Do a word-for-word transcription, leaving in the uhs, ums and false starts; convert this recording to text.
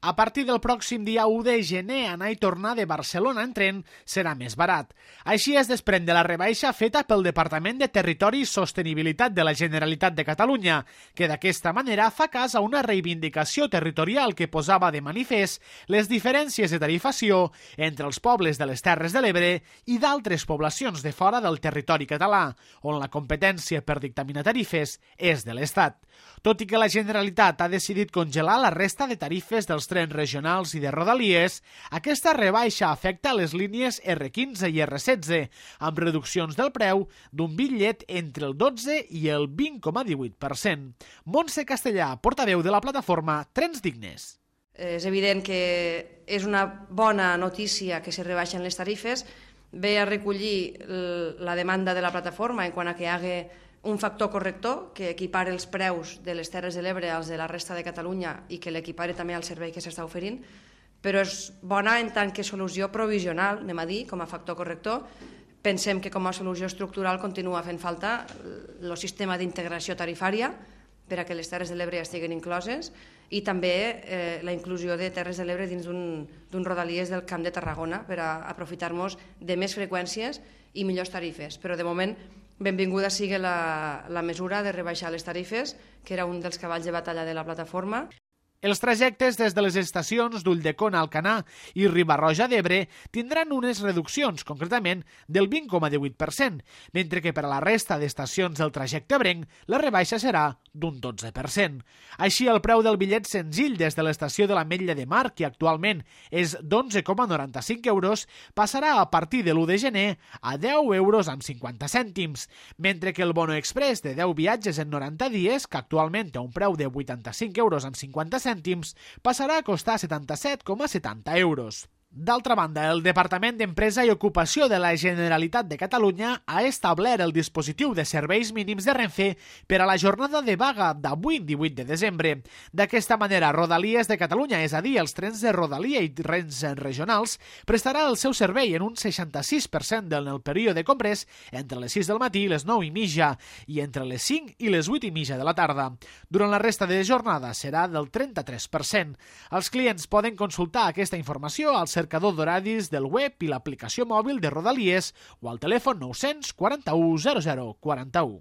A partir del pròxim dia u de gener, anar i tornar de Barcelona en tren serà més barat. Així es desprèn de la rebaixa feta pel Departament de Territori i Sostenibilitat de la Generalitat de Catalunya, que d'aquesta manera fa cas a una reivindicació territorial que posava de manifest les diferències de tarifació entre els pobles de les Terres de l'Ebre i d'altres poblacions de fora del territori català, on la competència per dictaminar tarifes és de l'Estat. Tot i que la Generalitat ha decidit congelar la resta de tarifes dels trens regionals i de Rodalies, aquesta rebaixa afecta les línies erre quinze i erre setze, amb reduccions del preu d'un bitllet entre el dotze i el vint coma divuit per cent. Montse Castellà, portaveu de la plataforma Trens Dignes. És evident que és una bona notícia que se rebaixen les tarifes, ve a recollir la demanda de la plataforma en quant a que hi hagi un factor corrector que equipare els preus de les Terres de l'Ebre als de la resta de Catalunya i que l'equipare també al servei que s'està oferint, però és bona en tant que solució provisional, anem a dir, com a factor corrector. Pensem que com a solució estructural continua fent falta el sistema d'integració tarifària per a que les Terres de l'Ebre estiguin incloses i també eh, la inclusió de Terres de l'Ebre dins d'un Rodalies del Camp de Tarragona per a aprofitar-nos de més freqüències i millors tarifes. Però de moment benvinguda sigui la, la mesura de rebaixar les tarifes, que era un dels cavalls de batalla de la plataforma. Els trajectes des de les estacions d'Ulldecona, Alcanar i Riba-roja d'Ebre tindran unes reduccions, concretament del vint coma divuit per cent, mentre que per a la resta d'estacions del trajecte ebrenc la rebaixa serà d'un dotze per cent. Així, el preu del bitllet senzill des de l'estació de l'Ametlla de Mar, que actualment és d'onze coma noranta-cinc euros, passarà a partir de l'u de gener a deu euros amb cinquanta cèntims, mentre que el bono express de deu viatges en noranta dies, que actualment té un preu de vuitanta-cinc euros amb cinquanta cèntims, passarà a costar setanta-set coma setanta euros. D'altra banda, el Departament d'Empresa i Ocupació de la Generalitat de Catalunya ha establert el dispositiu de serveis mínims de Renfe per a la jornada de vaga d'avui, divuit de desembre. D'aquesta manera, Rodalies de Catalunya, és a dir, els trens de Rodalia i trens regionals, prestarà el seu servei en un seixanta-sis per cent en el període comprès entre les sis del matí i les nou i mitja i entre les cinc i les vuit i mitja de la tarda. Durant la resta de jornada serà del trenta-tres per cent. Els clients poden consultar aquesta informació al cercador d'horaris del web i l'aplicació mòbil de Rodalies o al telèfon nou cents quaranta-u zero zero quaranta-u.